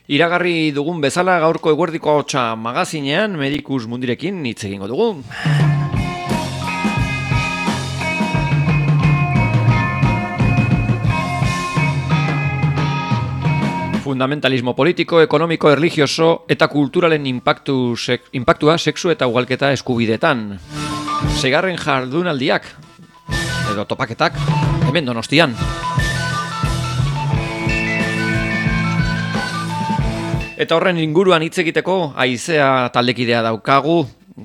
Iragarri dugun bezala gaurko eguerdiko ahotsa magazinean Medicus Mundirekin hitz egingo dugu. Fundamentalismo politiko, ekonomiko, erlijioso eta kulturalen inpaktua sexu eta ugalketa eskubidetan. Seigarren jardunaldiak, edo topaketak, hemen Donostian. Eta horren inguruan hitz egiteko Aizea taldekidea daukagu.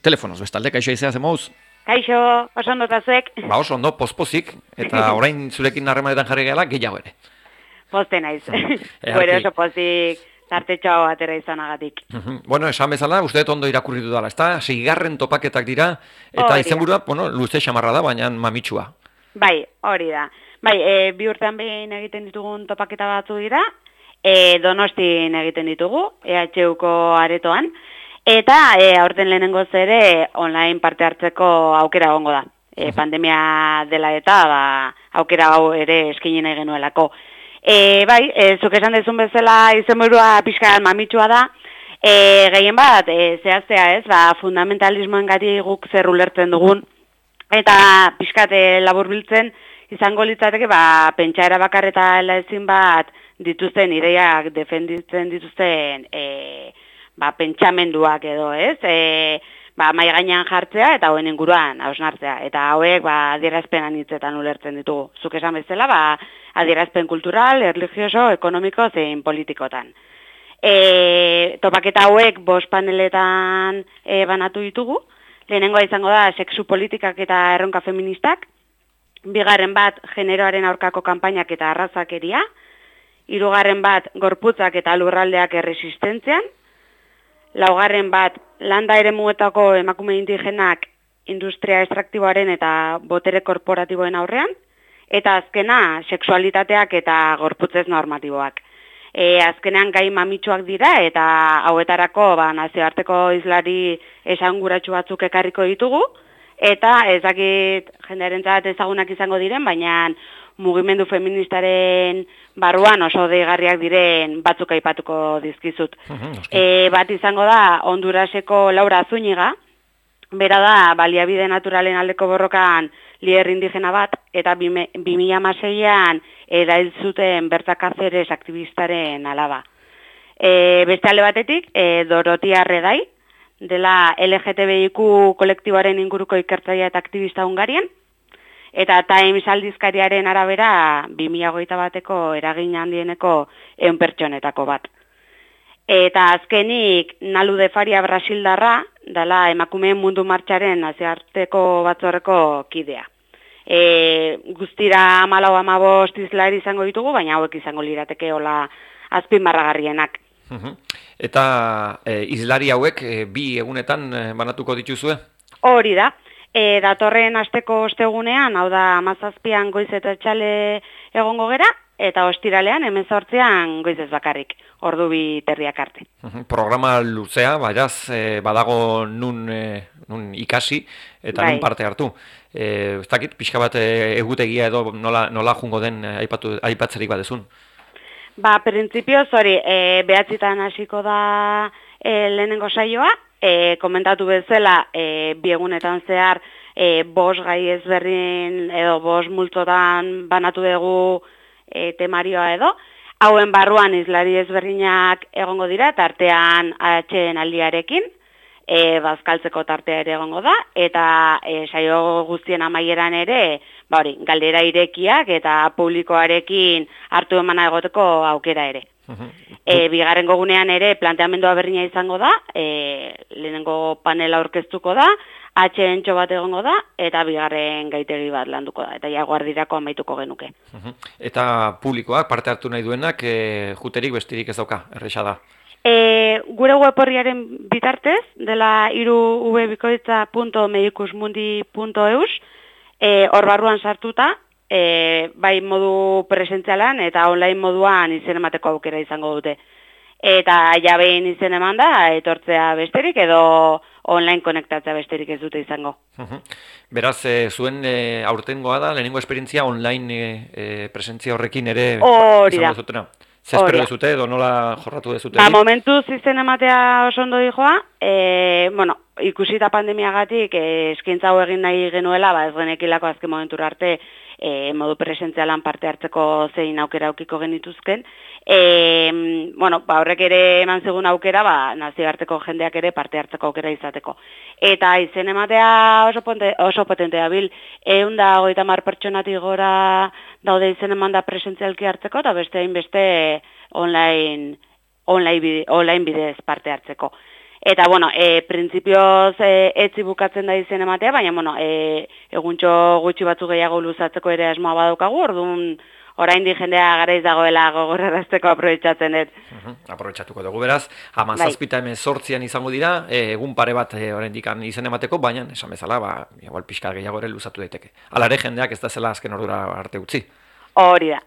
Telefonoz bestalde, kaixo Aizea, zemouz? Kaixo, oso ondo tazuek. Oso ondo, pospozik, eta orain zurekin harremanetan jarri gehala, gehiago ere. Poste naiz. Gure oso pozik tartetxo atera izanagatik. Bueno, esan bezala, uste ondo irakurri dudala, ezta? Seigarren topaketak dira, eta izenburua, bueno, luze xamarra da, baina mamitsua. Bai, hori da. Bai, bi urtean behin egiten ditugun topaketa batzu dira, Donostin egiten ditugu, EHUko aretoan, eta aurten lehenengoz ere online parte hartzeko aukera egongo da. Pandemia dela eta aukera hau ere eskaini nahi genuelako. Bai, zuk esan dezun bezala izenburua pixka mamitsua da, gehien bat, zehaztea ez, fundamentalismoen gati guk zer ulertzen dugun, eta pixkat laburbiltzen izango litzateke pentsaera bakar eta ezin bat dituzten ideiak defenditzen dituzten pentsamenduak edo, ez? Mai gainean jartzea eta hauen inguruan hausnartzea. Eta hauek adierazpen anitzetan ulertzen ditugu. Zuk esan bezala, adierazpen kultural, erlijioso, ekonomiko zein politikotan. Topaketa hauek 5 paneletan banatu ditugu. Lehenengoa izango da sexu politikak eta erronka feministak. Bigarren bat generoaren aurkako kanpainak eta arrazakeria. Hirugarren bat gorputzak eta lurraldeak erresistentzian. Laugarren bat landa eremuetako emakume indigenak industria estraktiboaren eta botere korporatiboen aurrean. Eta azkena sexualitateak eta gorputzez normatiboak. Azkenean gai mamitsuak dira eta hauetarako nazioarteko hizlari esanguratsu batzuk ekarriko ditugu. Eta ez dakit jendearentzat ezagunak izango diren, baina mugimendu feministaren barruan oso deigarriak diren batzuk aipatuko dizkizut. Bat izango da Honduraseko Laura Zúñiga, bera da baliabide naturalen aldeko borrokan lider indigena bat, eta 2016an erail zuten Berta Cáceres aktivistaren alaba. Beste alde batetik, Dorotia Redai, dela LGTBIQ kolektiboaren inguruko ikertzailea eta aktivista Hungarian, eta Times aldizkariaren arabera 2021ko eragin handieneko 100 pertsonetako bat. Eta azkenik Nalu de Faria brasildarra, dela emakumeen mundu martxaren nazioarteko batzorreko kidea. Guztira 14-15 hizlari izango ditugu, baina hauek izango lirateke hola azpimarragarrienak. Eta hizlari hauek bi egunetan banatuko dituzue? Hori da. Datorren asteko ostegunean, hau da 17an goiz eta etxale egongo gera, eta ostiralean 18an goizez bakarrik, ordu 2:30 arte. Programa luzea, beraz, badago nun ikasi eta nun parte hartu. Ez dakit, pixka bat egutegia edo nola jungo den aipatzerik badezun? Printzipioz hori, 9:00 hasiko da lehenengo saioa, komentatu bezala, 2 egunetan zehar 5 gai ezberdin edo 5 multzotan banatu dugu temarioa edo. Hauen barruan hizlari ezberdinak egongo dira, tartean atxeen aldiarekin, bazkaltzeko tartea ere egongo da, eta saio guztien amaieran ere, galdera irekiak eta publikoarekin hartu emana egoteko aukera ere. Bigarrengo gunean ere planteamendua berdina izango da, lehenengo panela aurkeztuko da, atxentxo bat egongo da, eta bigarren gaitegi bat landuko da, eta jaguardirako amaituko genuke. Eta publikoak parte hartu nahi duenak, juterik bestirik ez dauka, erresa da? Gure web horriaren bitartez, dela www.medicusmundi.eus, hor barruan sartuta, bai modu presentzialan eta online moduan izen emateko aukera izango dute. Eta jabein izen eman da, etortzea besterik edo online konektatzea besterik ez dute izango. Beraz, zuen aurtengoa da, lehenengo esperientzia online presentzia horrekin ere izango zutena? Zer espero dezute edo nola jorratu dezute? Ba, momentuz izen ematea oso ondo dijoa, bueno, ikusita pandemiagatik eskaintza hau egin nahi genuela, ba ez genekilako azken momentura arte modu presentzialan parte hartzeko zein aukera aukiko genituzken. Bueno, ba horrek ere eman zigun aukera, ba nazioarteko jendeak ere parte hartzeko aukera izateko. Eta izen ematea oso potentea bil, 130 pertsonatik gora daude izen emanda presentzialki hartzeko, eta beste hainbeste online bidez parte hartzeko. Eta, bueno, printzipioz etzi bukatzen da izen ematea, baina, bueno, eguntxo gutxi batzu gehiago luzatzeko ere asmoa badaukagu, orduan oraindik jendea garaiz dagoela gogorrarazteko aprobetxatzen dut. Aprobetxatuko dugu beraz, 17-18 izango dira, egun pare bat oraindik izen emateko, baina esan bezala, ba, igual pixka gehiago ere luzatu daiteke. Hala ere jendeak ez da zela azken ordura arte utzi. Hori da.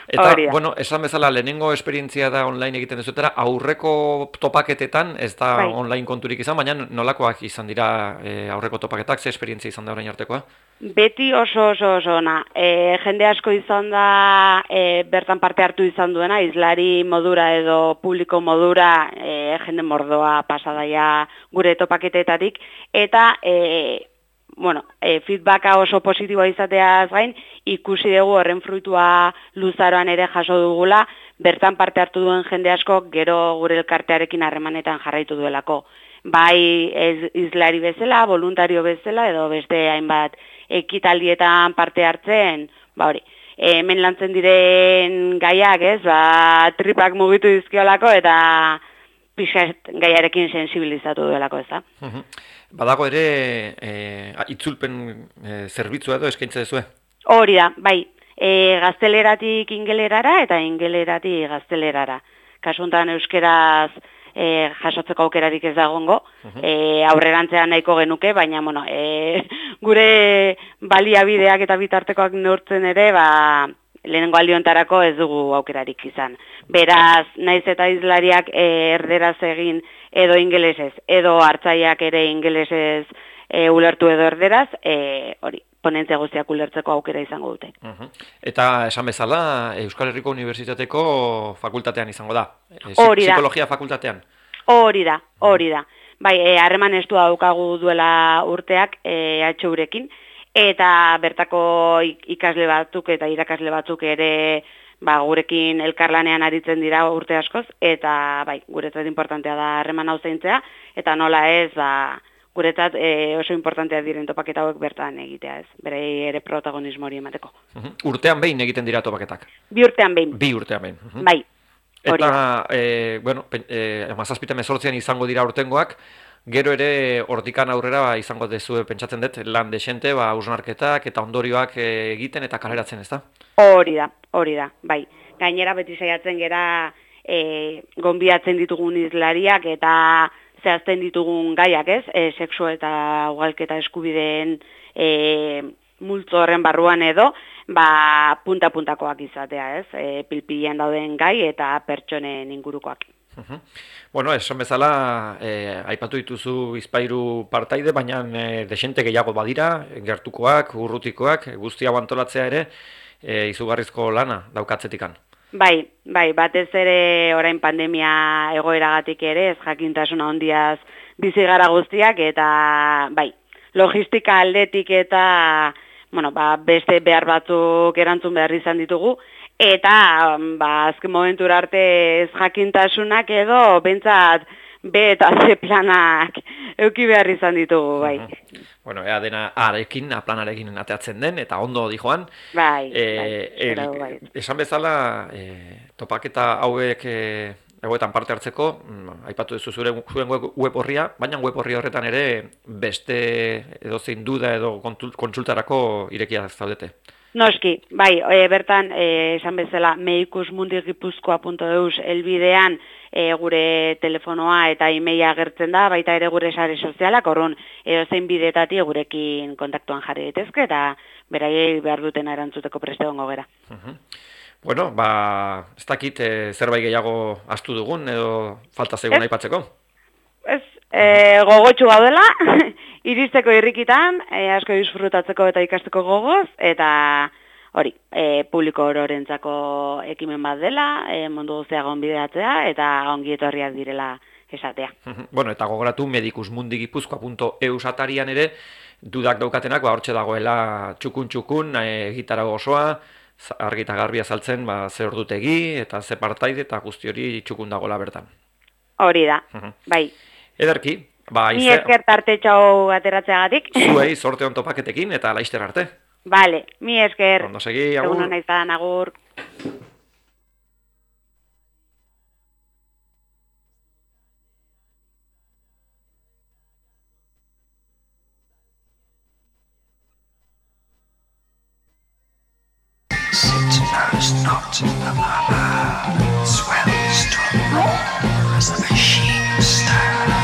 Eta, bueno, esan bezala, lehenengo esperientzia da online egiten dezutera, aurreko topaketetan, ez da online konturik izan, baina nolakoak izan dira aurreko topaketak, ze esperientzia izan da orain artekoa? Beti oso ona. Jende asko izan da bertan parte hartu izan duena, izlari modura edo publiko modura jende mordoa pasadaia gure topaketetatik, eta bueno, feedbacka oso positiboa izateaz gain, ikusi dugu horren fruitua luzaroan ere jaso dugula, bertan parte hartu duen jende asko gero gure elkartearekin harremanetan jarraitu duelako. Bai izlari bezala, voluntario bezala, edo beste hainbat ekitaldietan parte hartzen, ba hori, hemen lantzen diren gaiak, ez, ba, tripak mugitu dizkiolako eta pixat gaiarekin sensibilizatu duelako, ez da. Badago ere itzulpen zerbitzua edo eskaintza dezue? Hori da, bai, gazteleratik ingelerara eta ingeleratik gaztelerara. Kasuntan euskeraz jasotzeko aukerarik ez dagongo, aurrerantzean nahiko genuke, baina bueno, gure baliabideak eta bitartekoak neurtzen ere, ba, lehenengo aldiontarako ez dugu aukerarik izan. Beraz, naiz eta izlariak erderaz egin edo ingelesez, edo hartzaileak ere ingelesez ulertu edo erderaz, hori, ponentzia guztiak ulertzeko aukera izango dute. Eta esan bezala, Euskal Herriko Unibertsitateako fakultatean izango da? Psikologia fakultatean? Hori da. Bai, harreman estua daukagu duela urteak HUrekin, eta bertako ikasle batzuk eta irakasle batzuk ere ba, gurekin elkarlanean aritzen dira urte askoz, eta bai, guretzat importantea da harreman hau zaintzea, eta nola ez, ba, guretzat oso importantea diren topaketa hauek bertan egitea, ez, bere ere protagonismo hori emateko. Urtean behin egiten dira topaketak? 2 urtean behin. 2 urtean behin. Bai. Eta, bueno, 17-18 izango dira urtengoak, gero ere hortikan aurrera izango dezue pentsatzen dut, lan desente, hausnarketak eta ondorioak egiten eta kaleratzen, ez da? Hori da, bai. Gainera beti saiatzen gera gonbidatzen ditugun izlariak eta zehazten ditugun gaiak, ez? Sexu eta ugalketa eskubideen multzo horren barruan edo, ba, punta-puntakoak izatea, ez? Pilpilean dauden gai eta pertsonen ingurukoak. Bueno, esan bezala, aipatu dituzu bizpahiru partaide, baina desente gehiago badira, gertukoak, urrutikoak, guzti hau antolatzea ere, izugarrizko lana daukatzetikan. Bai, batez ere orain pandemia egoeragatik ere, ez jakintasuna handiaz bizi gara guztiak, eta bai, logistika aldetik eta bueno, ba, beste behar batzuk erantzun behar izan ditugu, eta ba, azken momentura arte ez jakintasunak edo bentsat B eta C planak euki behar izan ditugu, bai. Bueno, ea dena planarekin ateatzen den, eta ondo di joan. Bai. Esan bezala, topaketa hauek egoetan parte hartzeko, aipatu duzu zuen web horria, baina web horri horretan ere beste edozein duda edo kontsultarako irekia zaudete. Noski, bai, bertan, esan bezala, meikusmundigipuzkoa.eus elbidean gure telefonoa eta emaila agertzen da, baita ere gure sare sozialak, orrun edozein bidetatik gurekin kontaktuan jarri daitezke eta beraiei behar duten erantzuteko preste egongo gera. Bueno, ba, ez dakit zerbait gehiago astu dugun edo falta zaigun aipatzeko? Ez, gogotxu gaudela, iristeko irrikitan, asko disfrutatzeko eta ikasteko gogoz, eta hori, publiko ororentzako ekimen bat dela, mundu guztia gonbidatzea eta ongi etorriak direla esatea. Bueno, eta gogoratu medicusmundiguipuzkoa.eu satarian ere, dudak daukatenak, hortxe dagoela txukun, gitara gozoa, argi eta garbi azaltzen, ze ordutegi, eta ze partaide, eta guzti hori txukun dagoela bertan. Hori da, bai. Ederki, Ni esker tartetxo ateratzeagatik. Zuei, sorte on topaketekin, eta laizter arte. Vale, mi esker. Ondo segi, agur. Egun hona izan, agur. Not swells to roar as the machine stirs.